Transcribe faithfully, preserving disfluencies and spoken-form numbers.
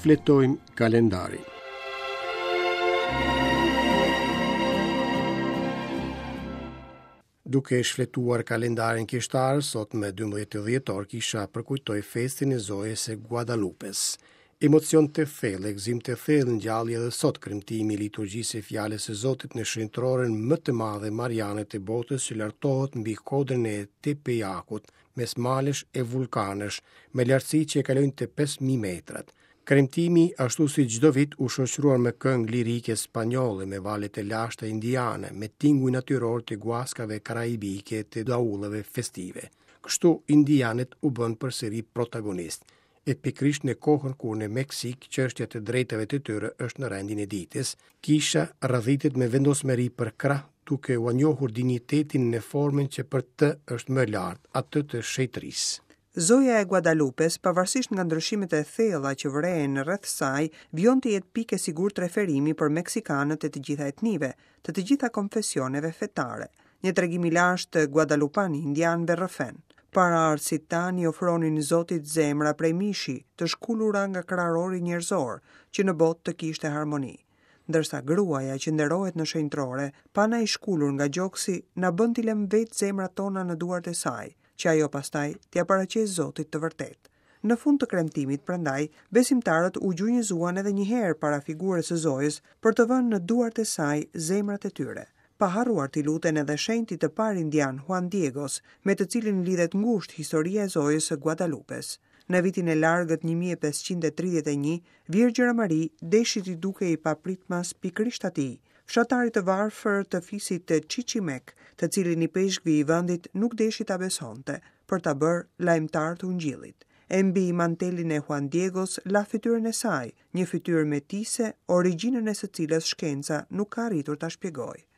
Shfletojmë kalendarin. Duke shfletuar kalendarin kishtar, sot me dymbëdhjetë dhjetor kisha përkujtoi festën e Zojës së Guadalupes. Emocion të thellë, gëzim të thellë ngjalli edhe sot kremtimi i liturgjisë së fjalës së Zotit në shenjtëroren më të madhe mariane të botës që lartohet mbi kodrën e Tepejakut, mes malesh e vullkanesh, me lartësi që e kalojnë të pesë mijë metrat. Kremtimi, ashtu si çdo vit, u shoqërua me këngë lirike spanjolle, me valet e lashta indiane, me tinguj natyror të guaskave karaibike të daulleve festive. Kështu, indianët u bënë përsëri protagonistë. E pikërisht në kohën kur në Meksik çështja e të drejtave të tyre është në rendin e ditës, kisha radhitet me vendosmëri për krah duke ua njohur dinjitetin në formën që për të është më lart, atë të shenjtërisë. Zoja e Guadalupes, pavarësisht nga ndryshimet e thella që vërehen rreth saj, vijon të jetë pikë e sigurt referimi për meksikanët e të gjitha etnive, të të gjitha konfesioneve fetare. Një tregim i lashtë guadalupan i indianëve rrëfen. Paraardhësit tanë i ofronin Zotit zemra prej mishi, të shkulura nga krarori njerëzor, që në botë të kishte harmoni. Ndërsa gruaja që nderohet në shenjtërore, pa na i shkulur nga gjoksi, na bën t'i lëmë vetë zemrat tona në duart e saj, që ajo pastaj t'ia paraqesë Zotit të vërtetë. Në fund të kremtimit, prandaj, besimtarët u gjunjëzuan edhe një herë para figurës së Zojës për të vënë në duart e saj zemrat e tyre. Pa harruar t'i luten edhe shenjtit të parë indian Juan Diegos, me të cilin lidhet ngushtë historia e Zojës së Guadalupes. Në vitin e largët një mijë e pesëqind e tridhjetë e një, Virgjëra Mari deshi t'i dukej papritmas pikërisht atij, fshatarit të varfër të fisit të Chichimek, të cilin i peshkvi i vendit nuk deshi ta besonte, për ta bërë lajmëtar të ungjillit. E mbi mantelin e Juan Diegos la fytyrën e saj, një fytyrë metise, origjinën e së cilës shkenca nuk ka arritur ta shpjegojë.